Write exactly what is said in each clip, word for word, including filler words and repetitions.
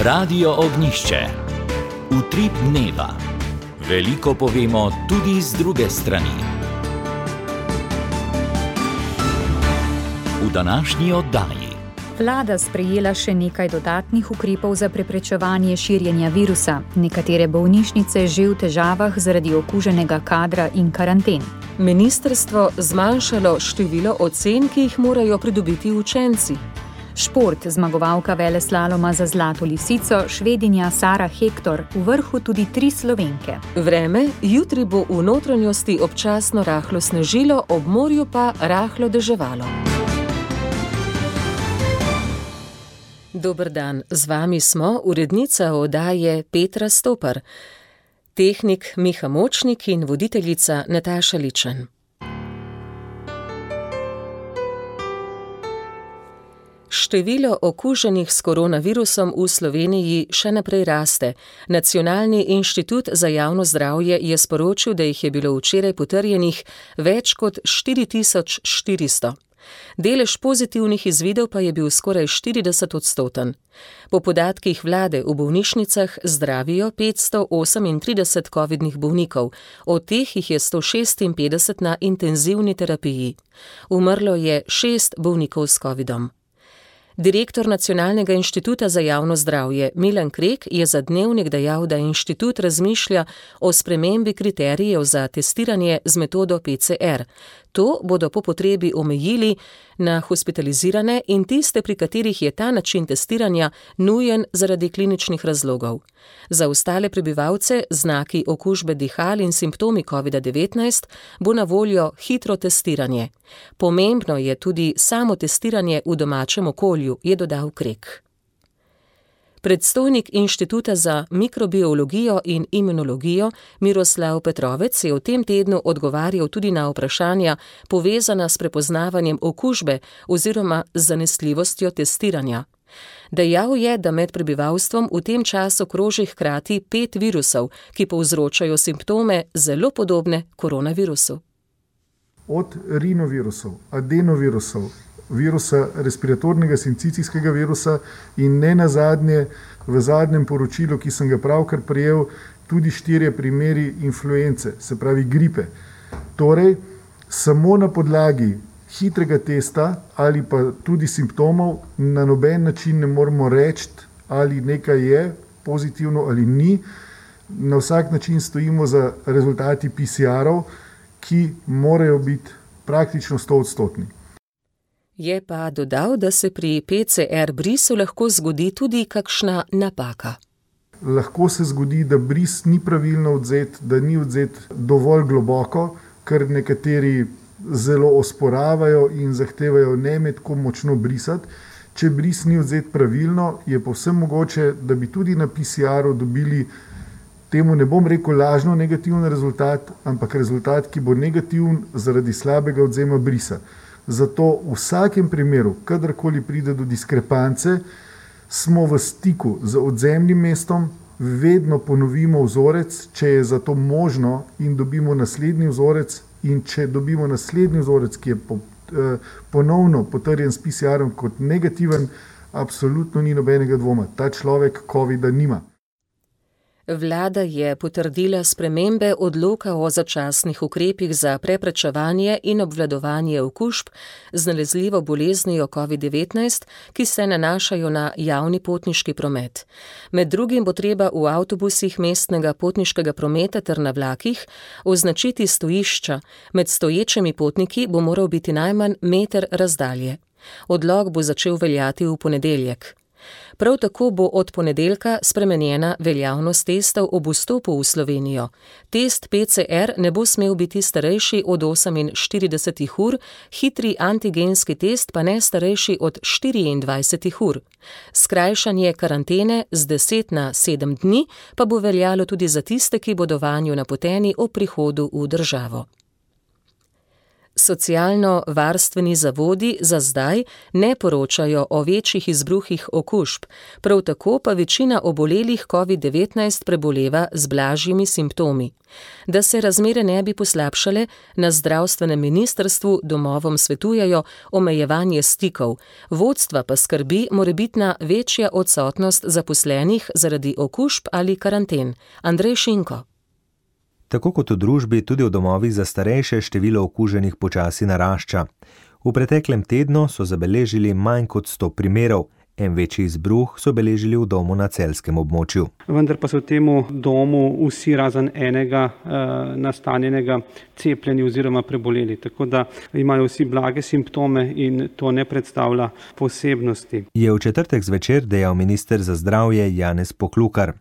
Radio Ognjišče. Utrip dneva. Veliko povemo tudi z druge strani. V današnji oddaji. Vlada sprejela še nekaj dodatnih ukrepov za preprečevanje širjenja virusa. Nekatere bolnišnice že v težavah zaradi okuženega kadra in karanten. Ministrstvo zmanjšalo število ocen, ki jih morajo pridobiti učenci. Šport, zmagovalka veleslaloma za Zlato lisico, Švedinja Sara Hektor, v vrhu tudi tri Slovenke. Vreme, jutri bo v notranjosti občasno rahlo snežilo, ob morju pa rahlo deževalo. Dober dan, z vami smo urednica oddaje Petra Stopar, tehnik Miha Močnik in voditeljica Nataša Ličen. Število okuženih s koronavirusom v Sloveniji še naprej raste. Nacionalni inštitut za javno zdravje je sporočil, da jih je bilo včeraj potrjenih več kot štiri tisoč štiristo. Delež pozitivnih izvidov pa je bil skoraj štirideset odstoten. Po podatkih vlade v bolnišnicah zdravijo petsto osemintrideset covidnih bolnikov, od teh jih je sto šestinpetdeset na intenzivni terapiji. Umrlo je šest bolnikov s covidom. Direktor Nacionalnega inštituta za javno zdravje Milan Krek je za Dnevnik dejal, da inštitut razmišlja o spremembi kriterijev za testiranje z metodo P C R. To bodo po potrebi omejili na hospitalizirane in tiste, pri katerih je ta način testiranja nujen zaradi kliničnih razlogov. Za ostale prebivalce znaki okužbe dihal in simptomi covida devetnajst bo na voljo hitro testiranje. Pomembno je tudi samo testiranje v domačem okolju, je dodal Krek. Predstojnik Inštituta za mikrobiologijo in imunologijo Miroslav Petrovec je v tem tednu odgovarjal tudi na vprašanja povezana s prepoznavanjem okužbe oziroma z zanesljivostjo testiranja. Dejal je, da med prebivalstvom v tem času kroži hkrati pet virusov, ki povzročajo simptome zelo podobne koronavirusu. Od rinovirusov, adenovirusov, virusa respiratornega sincicijskega virusa in ne nazadnje v zadnjem poročilu, ki sem ga pravkar prejel, tudi štirje primeri influence, se pravi gripe. Torej, samo na podlagi hitrega testa ali pa tudi simptomov na noben način ne moremo reči, ali nekaj je pozitivno ali ni. Na vsak način stojimo za rezultati P C R-ov, ki morajo biti praktično sto odstotni. Je pa dodal, da se pri P C R brisu lahko zgodi tudi kakšna napaka. Lahko se zgodi, da bris ni pravilno odzet, da ni odzet dovolj globoko, ker nekateri zelo osporavajo in zahtevajo ne med ko močno brisati. Če bris ni odzet pravilno, je povsem mogoče, da bi tudi na P C R-u dobili, temu ne bom rekel lažno negativen rezultat, ampak rezultat, ki bo negativen zaradi slabega odzema brisa. Zato v vsakem primeru, kadarkoli pride do diskrepance, smo v stiku z odzemnim mestom, vedno ponovimo vzorec, če je za to možno, in dobimo naslednji vzorec, in če dobimo naslednji vzorec, ki je po, eh, ponovno potrjen s P C R-om kot negativen, absolutno ni nobenega dvoma. Ta človek covida nima. Vlada je potrdila spremembe odloka o začasnih ukrepih za preprečevanje in obvladovanje okužb z nalezljivo boleznijo covid devetnajst, ki se nanašajo na javni potniški promet. Med drugim bo treba v avtobusih mestnega potniškega prometa ter na vlakih označiti stojišča. Med stoječimi potniki bo moral biti najmanj meter razdalje. Odlok bo začel veljati v ponedeljek. Prav tako bo od ponedeljka spremenjena veljavnost testov ob vstopu v Slovenijo. Test P C R ne bo smel biti starejši od oseminštirideset ur, hitri antigenski test pa ne starejši od štiriindvajset ur. Skrajšanje karantene z deset na sedem dni pa bo veljalo tudi za tiste, ki bodo vanjo napoteni ob prihodu v državo. Socialno-varstveni zavodi za zdaj ne poročajo o večjih izbruhih okužb, prav tako pa večina obolelih covid devetnajst preboleva z blažjimi simptomi. Da se razmere ne bi poslabšale, na zdravstvenem ministrstvu domovom svetujejo omejevanje stikov, vodstva pa skrbi morebitna večja odsotnost zaposlenih zaradi okužb ali karanten. Andrej Šinko. Tako kot v družbi, tudi v domovih za starejše število okuženih počasi narašča. V preteklem tednu so zabeležili manj kot sto primerov. En večji izbruh so beležili v domu na celjskem območju. Vendar pa so v temu domu vsi razen enega e, nastanjenega cepljeni oziroma preboleli. Tako da imajo vsi blage simptome in to ne predstavlja posebnosti. Je v četrtek zvečer dejal minister za zdravje Janez Poklukar.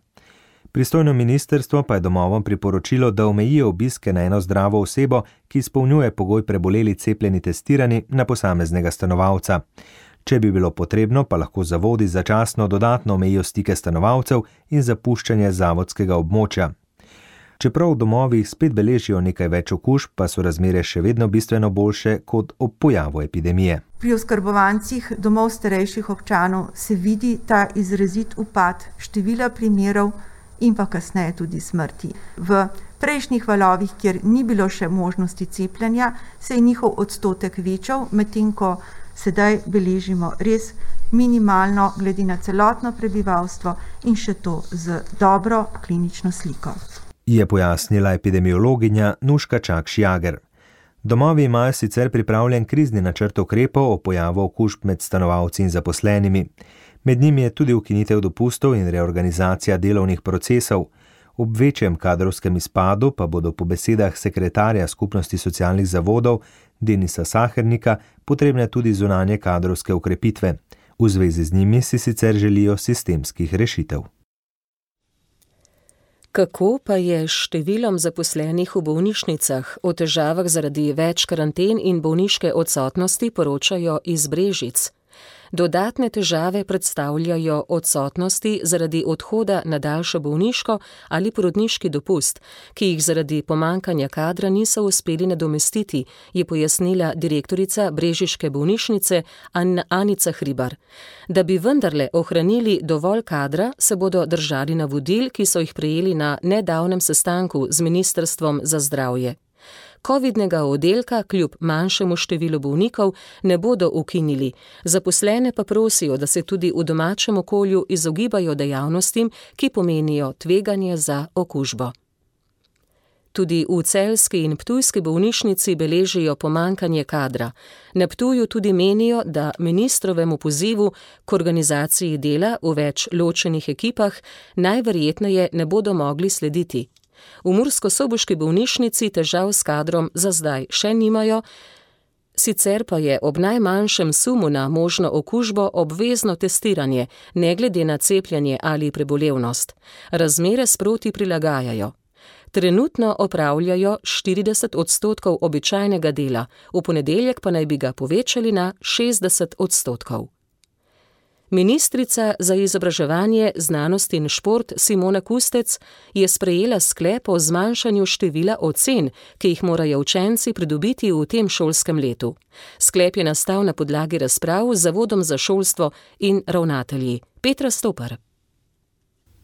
Pristojno ministrstvo pa je domovom priporočilo, da omejijo obiske na eno zdravo osebo, ki izpolnjuje pogoj preboleli cepljeni testirani na posameznega stanovalca. Če bi bilo potrebno, pa lahko zavodi začasno dodatno omejijo stike stanovalcev in zapuščanje zavodskega območja. Čeprav v domovih spet beležijo nekaj več okužb, pa so razmere še vedno bistveno boljše kot ob pojavu epidemije. Pri oskrbovancih domov starejših občanov se vidi ta izrazit upad števila primerov in pa kasneje tudi smrti. V prejšnjih valovih, kjer ni bilo še možnosti cepljenja, se je njihov odstotek večal, medtem ko sedaj beležimo res minimalno glede na celotno prebivalstvo in še to z dobro klinično sliko. Je pojasnila epidemiologinja Nuška Čakš-Jager. Domovi imajo sicer pripravljen krizni načrt ukrepov o pojavu okužb med stanovalci in zaposlenimi. Med njimi je tudi ukinitev dopustov in reorganizacija delovnih procesov. Ob večjem kadrovskem izpadu pa bodo po besedah sekretarja Skupnosti socialnih zavodov Denisa Sahernika potrebne tudi zunanje kadrovske ukrepitve. V zvezi z njimi si sicer želijo sistemskih rešitev. Kako pa je s številom zaposlenih v bolnišnicah? O težavah zaradi več karanten in bolniške odsotnosti poročajo iz Brežic. Dodatne težave predstavljajo odsotnosti zaradi odhoda na daljšo bolniško ali porodniški dopust, ki jih zaradi pomankanja kadra niso uspeli nadomestiti, je pojasnila direktorica brežiške bolnišnice Anica Hribar. Da bi vendarle ohranili dovolj kadra, se bodo držali navodil, ki so jih prejeli na nedavnem sestanku z Ministrstvom za zdravje. Covidnega oddelka kljub manjšemu številu bolnikov ne bodo ukinili. Zaposlene pa prosijo, da se tudi v domačem okolju izogibajo dejavnostim, ki pomenijo tveganje za okužbo. Tudi v celjski in ptujski bolnišnici beležijo pomankanje kadra. Na Ptuju tudi menijo, da ministrovemu pozivu k organizaciji dela v več ločenih ekipah najverjetneje ne bodo mogli slediti. V murskosoboški bolnišnici težav s kadrom za zdaj še nimajo, sicer pa je ob najmanjšem sumu na možno okužbo obvezno testiranje, ne glede na cepljenje ali prebolevnost. Razmere sproti prilagajajo. Trenutno opravljajo štirideset odstotkov običajnega dela, v ponedeljek pa naj bi ga povečali na šestdeset odstotkov. Ministrica za izobraževanje, znanost in šport Simona Kustec je sprejela sklep o zmanjšanju števila ocen, ki jih morajo učenci pridobiti v tem šolskem letu. Sklep je nastal na podlagi razprav z Zavodom za šolstvo in ravnatelji. Petra Stopar.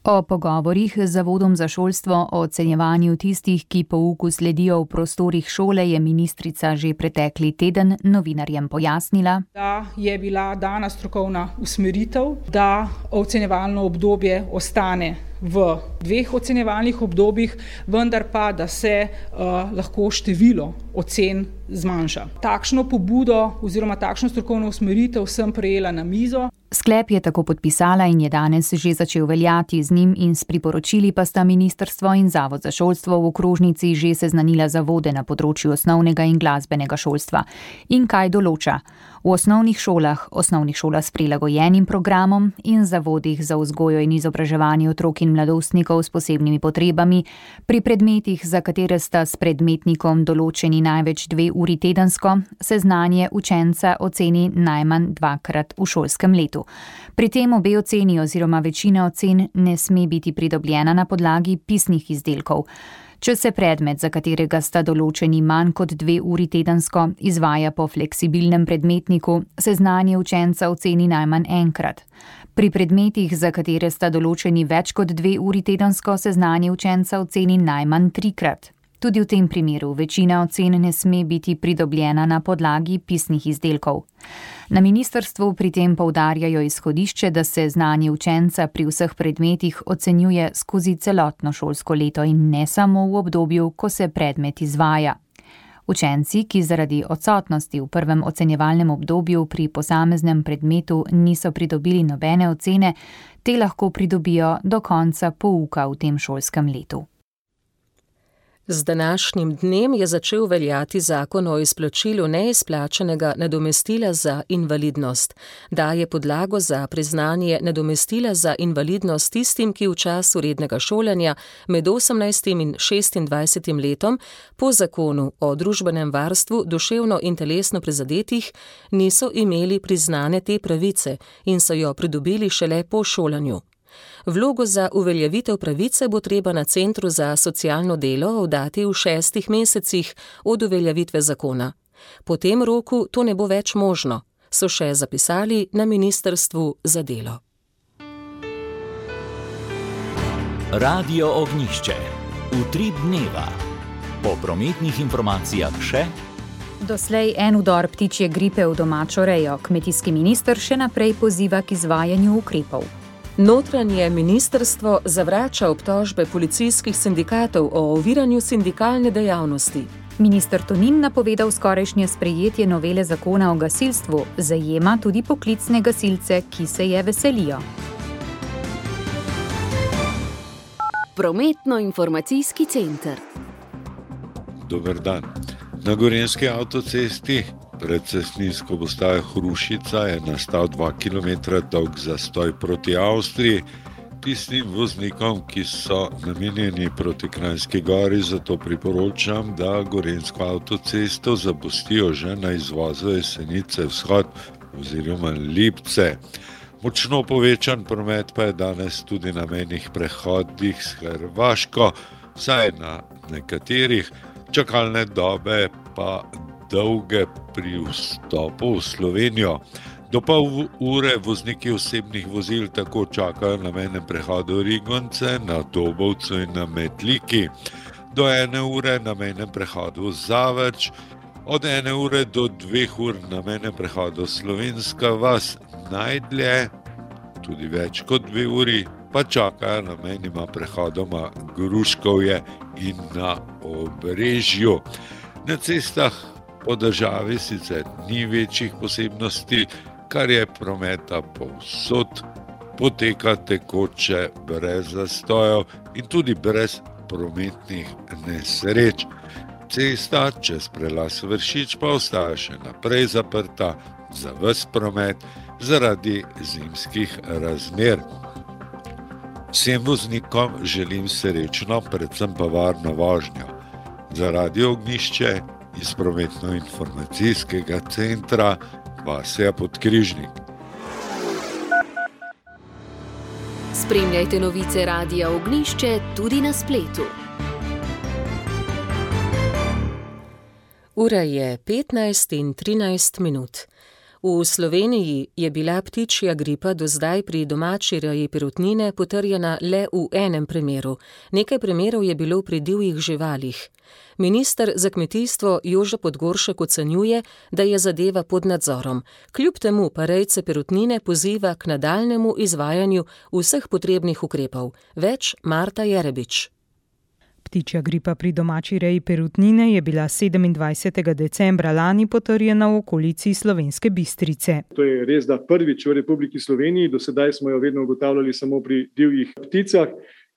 O pogovorih z Zavodom za šolstvo o ocenjevanju tistih, ki pouku sledijo v prostorih šole, je ministrica že pretekli teden novinarjem pojasnila, da je bila dana strokovna usmeritev, da ocenjevalno obdobje ostane v dveh ocenjevalnih obdobjih, vendar pa, da se uh, lahko število ocen zmanjša. Takšno pobudo oziroma takšno strokovno usmeritev sem prejela na mizo. Sklep je tako podpisala in je danes že začel veljati. Z njim in s priporočili pa sta ministrstvo in Zavod za šolstvo v okrožnici že seznanila zavode na področju osnovnega in glasbenega šolstva. In kaj določa? V osnovnih šolah, osnovnih šolah s prilagojenim programom in zavodih za vzgojo in izobraževanje otrok in mladostnikov s posebnimi potrebami, pri predmetih, za katere sta s predmetnikom določeni največ dve uri tedensko, se znanje učenca oceni najmanj dvakrat v šolskem letu. Pri tem obe oceni oziroma večina ocen ne sme biti pridobljena na podlagi pisnih izdelkov. Če se predmet, za katerega sta določeni manj kot dve uri tedensko, izvaja po fleksibilnem predmetniku, se znanje učenca oceni najmanj enkrat. Pri predmetih, za katere sta določeni več kot dve uri tedensko, se znanje učenca oceni najmanj trikrat. Tudi v tem primeru večina ocen ne sme biti pridobljena na podlagi pisnih izdelkov. Na ministrstvu pri tem poudarjajo izhodišče, da se znanje učenca pri vseh predmetih ocenjuje skozi celotno šolsko leto in ne samo v obdobju, ko se predmet izvaja. Učenci, ki zaradi odsotnosti v prvem ocenjevalnem obdobju pri posameznem predmetu niso pridobili nobene ocene, te lahko pridobijo do konca pouka v tem šolskem letu. Z današnjim dnem je začel veljati zakon o izplačilu neizplačenega nadomestila za invalidnost. Daje podlago za priznanje nadomestila za invalidnost tistim, ki v času rednega šolanja med osemnajstim in šestindvajsetim letom po zakonu o družbenem varstvu duševno in telesno prizadetih niso imeli priznane te pravice in so jo pridobili šele po šolanju. Vlogo za uveljavitev pravice bo treba na Centru za socialno delo oddati v šestih mesecih od uveljavitve zakona. Po tem roku to ne bo več možno, so še zapisali na Ministrstvu za delo. Radio Ognjišče. Utrip dneva. Po prometnih informacijah še: doslej en vdor ptičje gripe v domačo rejo. Kmetijski minister še naprej poziva k izvajanju ukrepov. Notranje ministrstvo zavrača obtožbe policijskih sindikatov o oviranju sindikalne dejavnosti. Minister Tonin napovedal skorajšnje sprejetje novele zakona o gasilstvu, zajema tudi poklicne gasilce, ki se je veselijo. Prometno-informacijski center. Dober dan. Na Gorenjski avtocesti pred cestninsko postajo Hrušica je nastal dva kilometra dolg zastoj proti Avstriji. Tistim voznikom, ki so namenjeni proti Kranjski Gori, zato priporočam, da Gorenjsko avtocesto zapustijo že na izvozu Jesenice vzhod oziroma Lipce. Močno povečan promet pa je danes tudi na mejnih prehodih s Hrvaško, vsaj na nekaterih, čakalne dobe pa dolge pri vstopu v Slovenijo. Do pol ure vozniki osebnih vozil tako čakajo na mejnem prehodu Rigonce, na Dobovcu in na Metliki. Do ene ure na mejnem prehodu Zavrč, od ene ure do dveh ur na mejnem prehodu Slovenska vas, najdlje, tudi več kot dve uri, pa čakajo na mejnima prehodoma Gruškovje in na Obrežju. Na cestah po državi sicer ni večjih posebnosti, kar je prometa povsod, poteka tekoče brez zastojev in tudi brez prometnih nesreč. Cesta čez prelaz Vršič pa ostaja še naprej zaprta za ves promet zaradi zimskih razmer. Vsem voznikom želim srečno, predvsem pa varno vožnjo. Za Radio Ognjišče iz prometno-informacijskega centra Vasja Podkrižnik. Spremljajte novice Radia Ognjišče tudi na spletu. Ura je petnajst in trinajst minut. V Sloveniji je bila ptičja gripa do zdaj pri domači reji perutnine potrjena le v enem primeru. Nekaj primerov je bilo pri divjih živalih. Minister za kmetijstvo Jože Podgoršek ocenjuje, da je zadeva pod nadzorom. Kljub temu pa rejce perutnine poziva k nadaljnjemu izvajanju vseh potrebnih ukrepov. Več Marta Jerebič. Ptičja gripa pri domači reji perutnine je bila sedemindvajsetega decembra lani potrjena v okolici Slovenske Bistrice. To je res, da prvič v Republiki Sloveniji, do sedaj smo jo vedno ugotavljali samo pri divjih pticah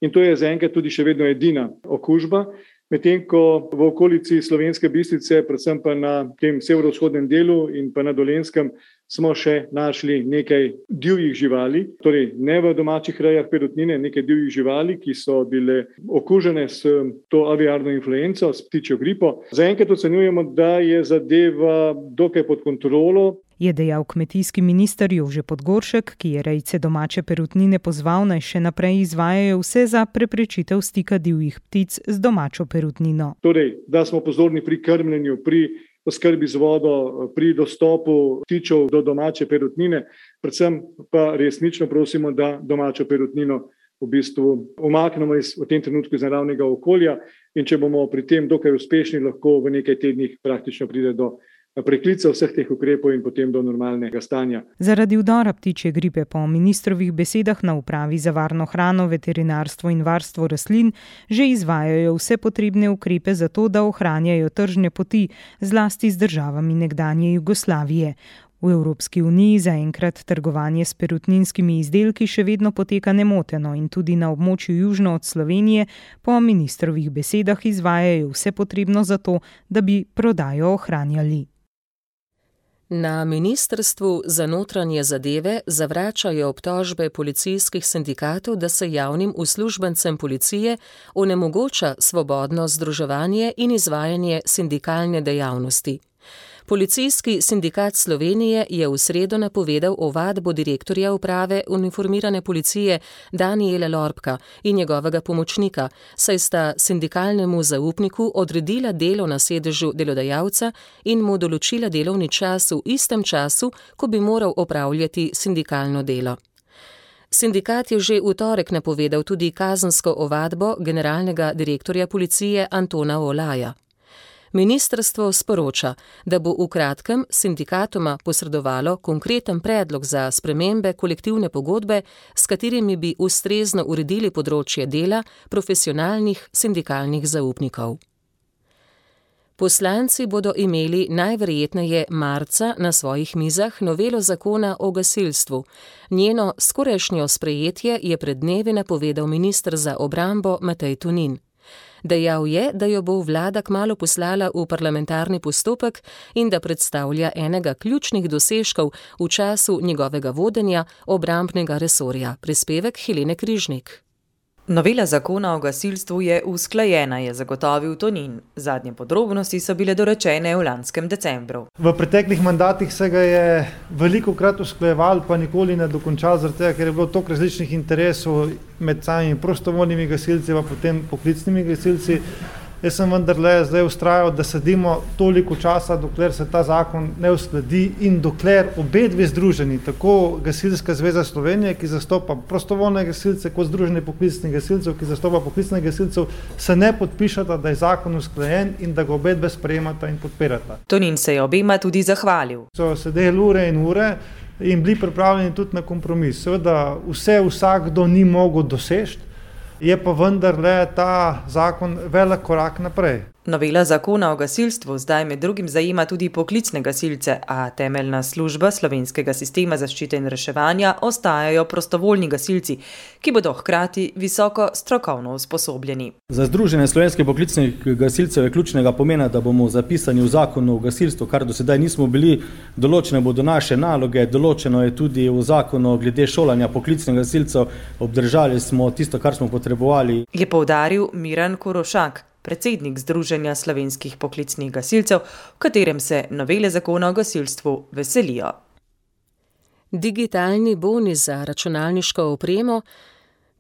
in to je zaenkrat tudi še vedno edina okužba. Medtem ko v okolici Slovenske Bistrice, predvsem pa na tem severovzhodnem delu in pa na Dolenjskem, smo še našli nekaj divjih živali, torej ne v domačih rejah perutnine, nekaj divjih živali, ki so bile okužene s to aviarno influenco, s ptičjo gripo. Zaenkrat ocenjujemo, da je zadeva dokaj pod kontrolo. je dejal kmetijski minister Jože Podgoršek, ki je rejce domače perutnine pozval, naj še naprej izvajajo vse za preprečitev stika divjih ptic z domačo perutnino. Torej, da smo pozorni pri krmljenju, pri oskrbi z vodo, pri dostopu ptičev do domače perutnine, predvsem pa resnično prosimo, da domačo perutnino v bistvu umaknemo iz, v tem trenutku iz naravnega okolja in če bomo pri tem dokaj uspešni, lahko v nekaj tednih praktično pride do preklica vseh teh ukrepov in potem do normalnega stanja. Zaradi vdora ptičje gripe po ministrovih besedah na upravi za varno hrano, veterinarstvo in varstvo rastlin že izvajajo vse potrebne ukrepe za to, da ohranjajo tržne poti, zlasti z državami nekdanje Jugoslavije. V Evropski uniji zaenkrat trgovanje s perutninskimi izdelki še vedno poteka nemoteno in tudi na območju južno od Slovenije po ministrovih besedah izvajajo vse potrebno za to, da bi prodajo ohranjali. Na Ministrstvu za notranje zadeve zavračajo obtožbe policijskih sindikatov, da se javnim uslužbencem policije onemogoča svobodno združevanje in izvajanje sindikalne dejavnosti. Policijski sindikat Slovenije je v sredo napovedal ovadbo direktorja uprave uniformirane policije Danijela Lorbka in njegovega pomočnika, saj sta sindikalnemu zaupniku odredila delo na sedežu delodajalca in mu določila delovni čas v istem času, ko bi moral opravljati sindikalno delo. Sindikat je že v torek napovedal tudi kazensko ovadbo generalnega direktorja policije Antona Olaja. Ministrstvo sporoča, da bo v kratkem sindikatoma posredovalo konkreten predlog za spremembe kolektivne pogodbe, s katerimi bi ustrezno uredili področje dela profesionalnih sindikalnih zaupnikov. Poslanci bodo imeli najverjetneje marca na svojih mizah novelo zakona o gasilstvu. Njeno skorajšnjo sprejetje je pred dnevi napovedal minister za obrambo Matej Tonin. Dejal je, da jo bo vlada kmalu poslala v parlamentarni postopek in da predstavlja enega ključnih dosežkov v času njegovega vodenja obrambnega resorja. Prispevek Helene Križnik. Novela zakona o gasilstvu je usklajena, je zagotovil Tonin. Zadnje podrobnosti so bile dorečene v lanskem decembru. V preteklih mandatih se ga je velikokrat usklajeval, pa nikoli ne dokončal, zaradi tega, ker je bilo toliko različnih interesov med samimi prostovoljnimi gasilci, pa potem poklicnimi gasilci. Jaz sem vendarle zdaj vztrajal, da sedimo toliko časa, dokler se ta zakon ne uskladi in dokler obe dve združeni, tako Gasilska zveza Slovenije, ki zastopa prostovoljne gasilce, kot Združenje poklicnih gasilcev, ki zastopa poklicne gasilcev, se ne podpišata, da je zakon usklajen in da ga obe dve sprejemata in podpirata. Tonin se je obema tudi zahvalil. So sedeli ure in ure in bili pripravljeni tudi na kompromis. Seveda vse vsakdo ni mogel doseči, je pa vendarle ta zakon velik korak naprej. Novela zakona o gasilstvu zdaj med drugim zajema tudi poklicne gasilce, a temeljna služba slovenskega sistema zaščite in reševanja ostajajo prostovoljni gasilci, ki bodo hkrati visoko strokovno usposobljeni. Za Združenje slovenskih poklicnih gasilcev je ključnega pomena, da bomo zapisani v zakonu o gasilstvu, kar do sedaj nismo bili, določene bodo naše naloge, določeno je tudi v zakonu glede šolanja poklicnih gasilcev, obdržali smo tisto, kar smo potrebovali. Je poudaril Miran Korošak, predsednik Združenja slovenskih poklicnih gasilcev, v katerem se novele zakona o gasilstvu veselijo. Digitalni boni za računalniško opremo,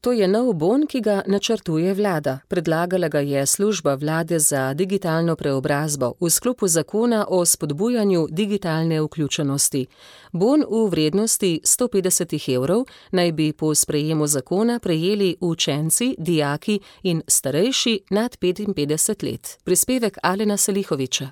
to je nov bon, ki ga načrtuje vlada. Predlagala ga je služba vlade za digitalno preobrazbo v sklopu zakona o spodbujanju digitalne vključenosti. Bon v vrednosti sto petdeset evrov naj bi po sprejemu zakona prejeli učenci, dijaki in starejši nad petinpetdeset let. Prispevek Alena Selihoviča.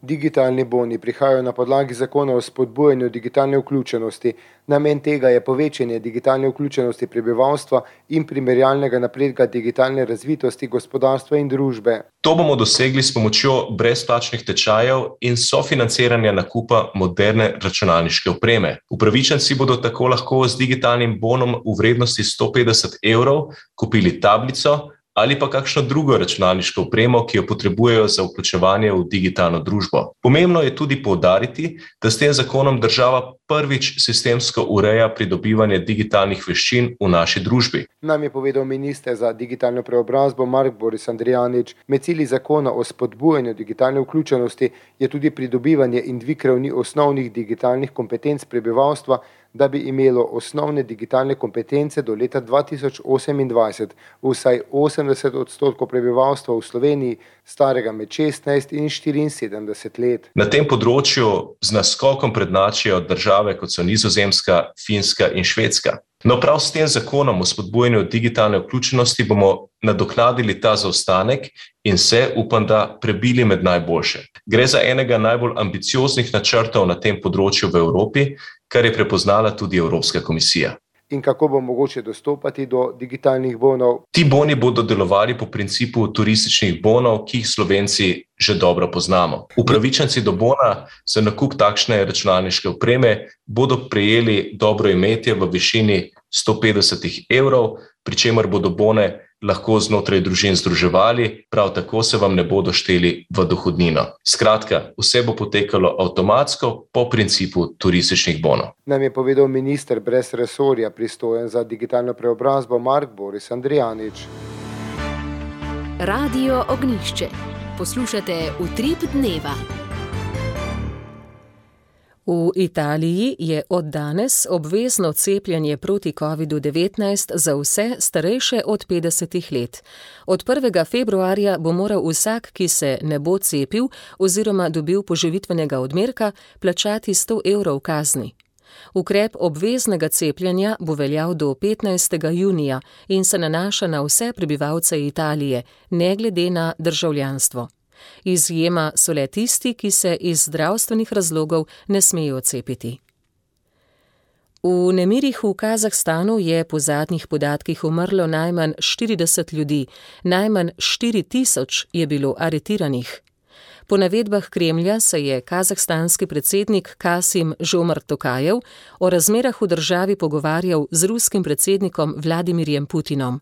Digitalni boni prihajajo na podlagi zakona o spodbujanju digitalne vključenosti. Namen tega je povečanje digitalne vključenosti prebivalstva in primerjalnega napredka digitalne razvitosti gospodarstva in družbe. To bomo dosegli s pomočjo brezplačnih tečajev in sofinanciranja nakupa moderne računalniške opreme. Upravičenci bodo tako lahko z digitalnim bonom v vrednosti sto petdeset evrov kupili tablico, ali pa kakšno drugo računalniško opremo, ki jo potrebujejo za vključevanje v digitalno družbo. Pomembno je tudi poudariti, da s tem zakonom država prvič sistemsko ureja pridobivanje digitalnih veščin v naši družbi. Nam je povedal minister za digitalno preobrazbo Mark Boris Andrijanič. Med cilji zakona o spodbujanju digitalne vključenosti je tudi pridobivanje in dvig ravni osnovnih digitalnih kompetenc prebivalstva, da bi imelo osnovne digitalne kompetence do leta dva tisoč osemindvajset vsaj osemdeset odstotkov prebivalstva v Sloveniji, starega med šestnajst in štiriinsedemdeset let. Na tem področju z naskokom prednjačijo države, kot so Nizozemska, Finska in Švedska. No, prav s tem zakonom o spodbujanju digitalne vključenosti bomo nadoknadili ta zaostanek in se, upam, da prebili med najboljše. Gre za enega najbolj ambicioznih načrtov na tem področju v Evropi, kar je prepoznala tudi Evropska komisija. In kako bo mogoče dostopati do digitalnih bonov? Ti boni bodo delovali po principu turističnih bonov, ki jih Slovenci že dobro poznamo. Upravičenci do bona za nakup takšne računalniške opreme bodo prejeli dobro imetje v višini sto petdeset evrov, pri čemer bodo bone lahko znotraj družin združevali, prav tako se vam ne bodo šteli v dohodnino. Skratka, vse bo potekalo avtomatsko po principu turističnih bonov. Nam je povedal minister brez resorja, pristojen za digitalno preobrazbo Mark Boris Andrijanič. Radio Ognjišče. Poslušate Utrip dneva. V Italiji je od danes obvezno cepljenje proti kovidu devetnajst za vse starejše od petdesetih let. Od prvega februarja bo moral vsak, ki se ne bo cepil oziroma dobil poživitvenega odmerka, plačati sto evrov kazni. Ukrep obveznega cepljenja bo veljal do petnajstega junija in se nanaša na vse prebivalce Italije, ne glede na državljanstvo. Izjema so le tisti, ki se iz zdravstvenih razlogov ne smejo cepiti. V nemirih v Kazahstanu je po zadnjih podatkih umrlo najmanj štirideset ljudi, najmanj štiri tisoč je bilo aretiranih. Po navedbah Kremlja se je kazahstanski predsednik Kasim Žomart Tokajev o razmerah v državi pogovarjal z ruskim predsednikom Vladimirjem Putinom.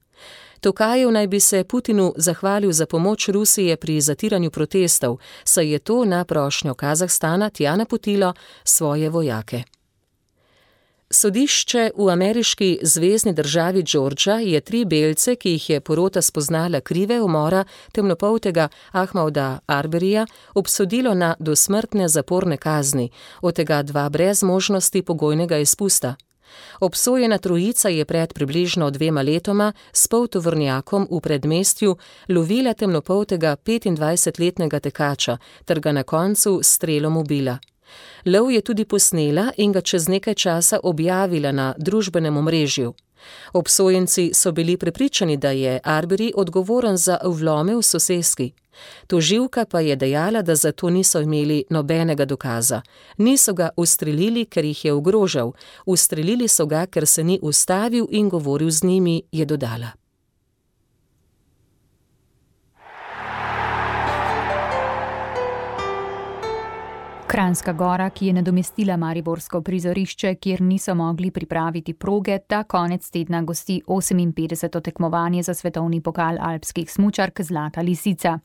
Tokajev naj bi se Putinu zahvalil za pomoč Rusije pri zatiranju protestov, saj je to na prošnjo Kazahstana tja napotilo svoje vojake. Sodišče v ameriški zvezni državi Georgia je tri belce, ki jih je porota spoznala krive umora temnopoltega Ahmauda Arberyja, obsodilo na dosmrtne zaporne kazni, od tega dva brez možnosti pogojnega izpusta. Obsojena trojica je pred približno dvema letoma s poltovornjakom v predmestju lovila temnopoltega petindvajsetletnega tekača ter ga na koncu s strelom ubila. Lov je tudi posnela in ga čez nekaj časa objavila na družbenem omrežju. Obsojenci so bili prepričani, da je Arbery odgovoren za vlome v soseski. Tožilka pa je dejala, da za to niso imeli nobenega dokaza. Niso ga ustrelili, ker jih je ogrožal. Ustrelili so ga, ker se ni ustavil in govoril z njimi, je dodala. Kranjska Gora, ki je nadomestila mariborsko prizorišče, kjer niso mogli pripraviti proge, ta konec tedna gosti oseminpetdeseto tekmovanje za svetovni pokal alpskih smučark Zlata lisica.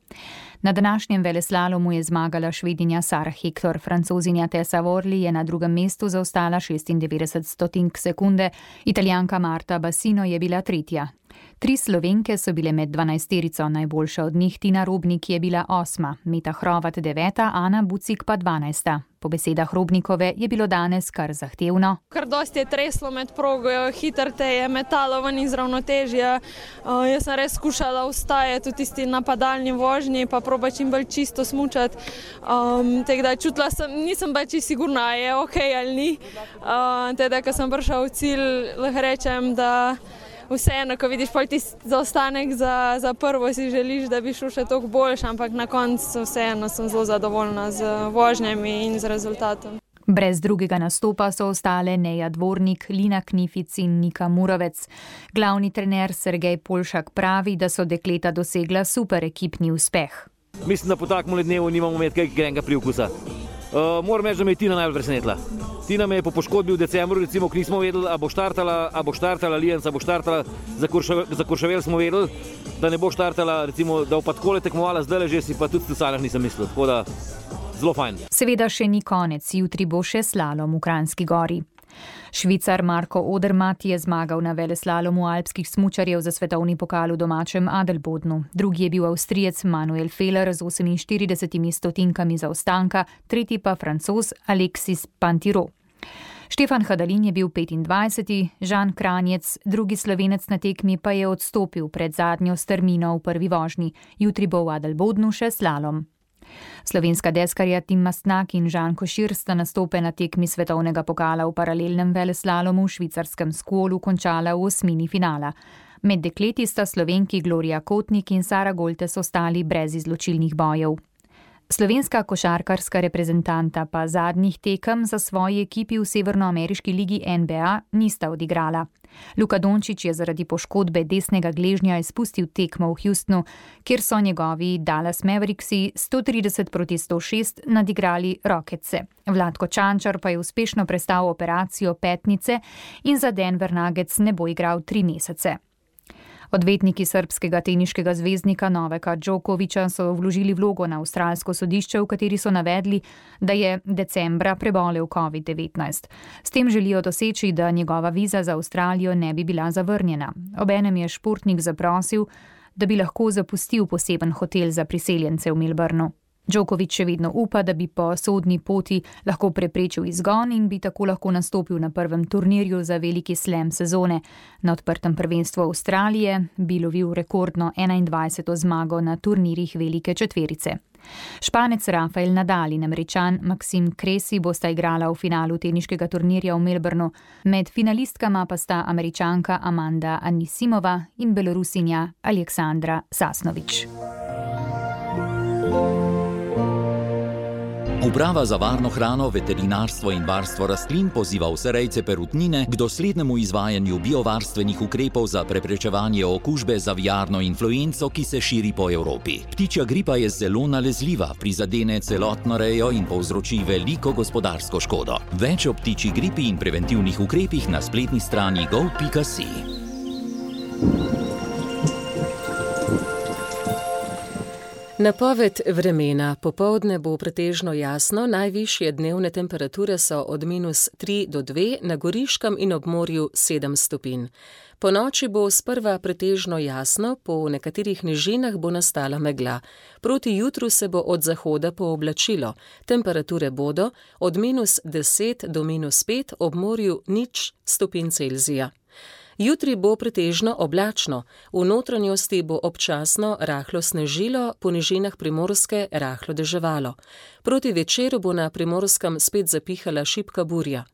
Na današnjem veleslalomu je zmagala Švedinja Sara Hektor, Francozinja Tessa Worley je na drugem mestu zaostala šestindevetdeset stotink sekunde, Italijanka Marta Bassino je bila tretja. Tri Slovenke so bile med dvanajsterico, najboljša od njih Tina Robnik je bila osma, Meta Hrovat deveta, Ana Bucik pa dvanajsta. Po besedah Robnikove je bilo danes kar zahtevno. Kar dosti je treslo med progo, hitro te je metalo ven iz ravnotežja. Uh, jaz sem res skušala ustajati v tisti napadalni vožnji, pa proba čim bolj čisto smučati. Um, Tako čutila sem, nisem pa čisto sigurna, je ok ali ni. Uh, Teda, ko sem prišla v cilj, lahko rečem, da vseeno, ko vidiš pol tisti zaostanek za, za prvo, si želiš, da bi šel še toliko boljš, ampak na koncu vseeno sem zelo zadovoljna z vožnjami in z rezultatom. Brez drugega nastopa so ostale Neja Dvornik, Lina Knific in Nika Murovec. Glavni trener Sergej Polšak pravi, da so dekleta dosegla super ekipni uspeh. Mislim, da po takem dnevu nimamo imeti kaj grenega priokusa. Uh, moram reči, da me je Tina najbolj presenetila. Tina me je po poškodbi v decembru, recimo, ko nismo vedeli, a bo štartala, a bo štartala Lijenca, a bo štartala, za, Kuršavel, za Kuršavel smo vedeli, da ne bo štartala, recimo, da bo pa takole tekmovala, zdaj že si pa tudi v Salah nisem mislil, tako da zelo fajn. Seveda še ni konec, jutri bo še slalom v Kranjski Gori. Švicar Marko Odermatt je zmagal na veleslalomu alpskih smučarjev za svetovni pokal v domačem Adelbodnu. Drugi je bil Avstrijec Manuel Feller z oseminštiridesetimi stotinkami zaostanka, tretji pa Francoz Alexis Pinturault. Štefan Hadalin je bil petindvajseti, Žan Kranjec, drugi Slovenec na tekmi, pa je odstopil pred zadnjo strmino v prvi vožnji. Jutri bo v Adelbodnu še slalom. Slovenska deskarja Tim Mastnak in Žan Košir sta nastope na tekmi svetovnega pokala v paralelnem veleslalomu v švicarskem Skolu končala v osmini finala. Med dekleti sta Slovenki Gloria Kotnik in Sara Goltes ostali brez izločilnih bojev. Slovenska košarkarska reprezentanta pa zadnjih tekem za svoji ekipi v severnoameriški ligi N B A nista odigrala. Luka Dončić je zaradi poškodbe desnega gležnja izpustil tekmo v Houstonu, kjer so njegovi Dallas Mavericksi sto trideset proti sto šest nadigrali Rocketse. Vlatko Čančar pa je uspešno prestal operacijo petnice in za Denver Nuggets ne bo igral tri mesece. Odvetniki srbskega teniškega zvezdnika Novaka Djokovića so vložili vlogo na avstralsko sodišče, v kateri so navedli, da je decembra prebolel covid devetnajst. S tem želijo doseči, da njegova viza za Avstralijo ne bi bila zavrnjena. Obenem je športnik zaprosil, da bi lahko zapustil poseben hotel za priseljence v Melbourneu. Djoković še vedno upa, da bi po sodni poti lahko preprečil izgon in bi tako lahko nastopil na prvem turnirju za veliki slam sezone. Na odprtem prvenstvu Avstralije bi lovil rekordno enaindvajseto zmago na turnirjih velike četverice. Španec Rafael Nadal in Američan Maxim Cressy bosta igrala v finalu teniškega turnirja v Melbourneu. Med finalistkama pa sta Američanka Amanda Anisimova in Belorusinja Aleksandra Sasnović. Uprava za varno hrano, veterinarstvo in varstvo rastlin poziva vse rejce perutnine k doslednemu izvajanju biovarstvenih ukrepov za preprečevanje okužbe z aviarno influenco, ki se širi po Evropi. Ptičja gripa je zelo nalezljiva, prizadene celotno rejo in povzroči veliko gospodarsko škodo. Več o ptičji gripi in preventivnih ukrepih na spletni strani gov pika si. Napoved vremena. Popoldne bo pretežno jasno, najvišje dnevne temperature so od minus tri do dve, na Goriškem in ob morju sedem stopinj. Po noči bo sprva pretežno jasno, po nekaterih nižinah bo nastala megla. Proti jutru se bo od zahoda pooblačilo. Temperature bodo od minus deset do minus pet, ob morju nič stopinj Celzija. Jutri bo pretežno oblačno, v notranjosti bo občasno rahlo snežilo, po nižinah Primorske rahlo deževalo. Proti večeru bo na Primorskem spet zapihala šibka burja.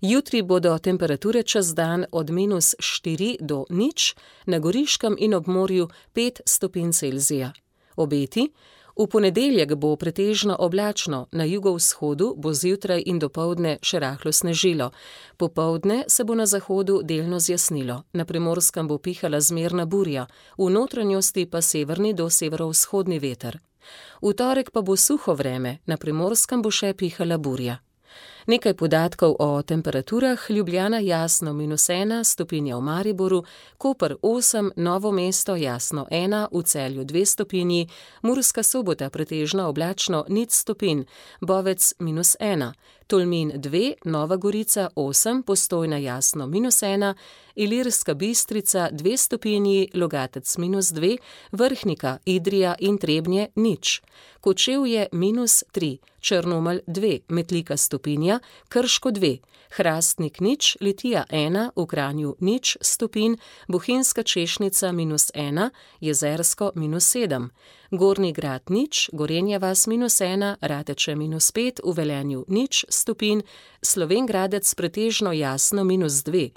Jutri bodo temperature čez dan od minus štiri do nič, na Goriškem in ob morju pet stopinj Celzija. Obeti. V ponedeljek bo pretežno oblačno, na jugovzhodu bo zjutraj in dopoldne še rahlo snežilo. Popoldne se bo na zahodu delno zjasnilo, na Primorskem bo pihala zmerna burja, v notranjosti pa severni do severovzhodni veter. V torek pa bo suho vreme, na Primorskem bo še pihala burja. Nekaj podatkov o temperaturah. Ljubljana jasno minus ena, stopinja v Mariboru, Koper osem, Novo mesto jasno ena, v Celju dve stopinji, Murska Sobota pretežno oblačno nič stopinj, Bovec minus ena, Tolmin dve, Nova Gorica osem, Postojna jasno minus ena, Ilirska Bistrica dve stopinji, Logatec minus dve, Vrhnika, Idrija in Trebnje nič. Kočevje minus tri, Črnomelj dve, Metlika stopinja, Krško dve, Hrastnik nič, Litija ena, v Kranju nič stopinj, Bohinjska Češnica minus ena, Jezersko minus sedem, Gornji Grad nič, Gorenja vas minus ena, Rateče minus pet, v Velenju nič stopinj, Slovenj Gradec pretežno jasno minus dve,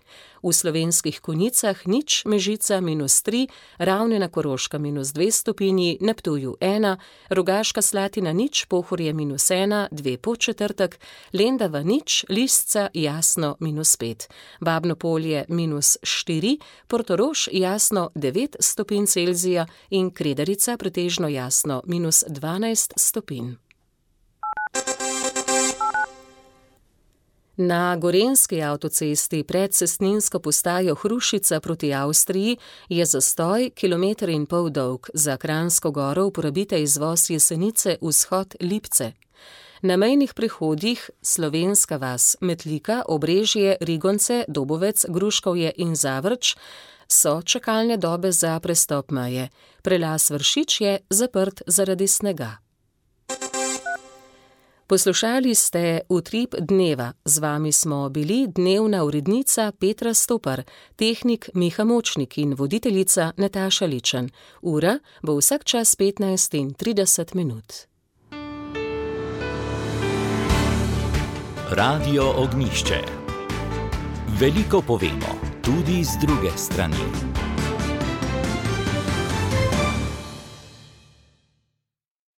v Slovenskih Konjicah nič, Mežica minus tri, Ravne na Koroška minus dve stopinji, na Ptuju ena, Rogaška Slatina nič, Pohorje minus ena, dve Podčetrtek, Lendava nič, Lisca jasno minus pet, Babno Polje minus štiri, Portorož jasno devet stopinj Celzija in Kredarica pretežno jasno minus dvanajst stopinj. Na gorenjski avtocesti pred cestninsko postajo Hrušica proti Avstriji je zastoj kilometer in pol dolg. Za Kranjsko goro uporabite izvoz Jesenice vzhod Lipce. Na mejnih prehodih Slovenska vas, Metlika, Obrežje, Rigonce, Dobovec, Gruškovje in Zavrč so čakalne dobe za prestop meje. Prelaz Vršič je zaprt zaradi snega. Poslušali ste Utrip dneva. Z vami smo bili dnevna urednica Petra Stopar, tehnik Miha Močnik in voditeljica Nataša Ličen. Ura bo vsak čas petnajst in trideset minut. Radio Ognjišče. Veliko povemo, tudi z druge strani.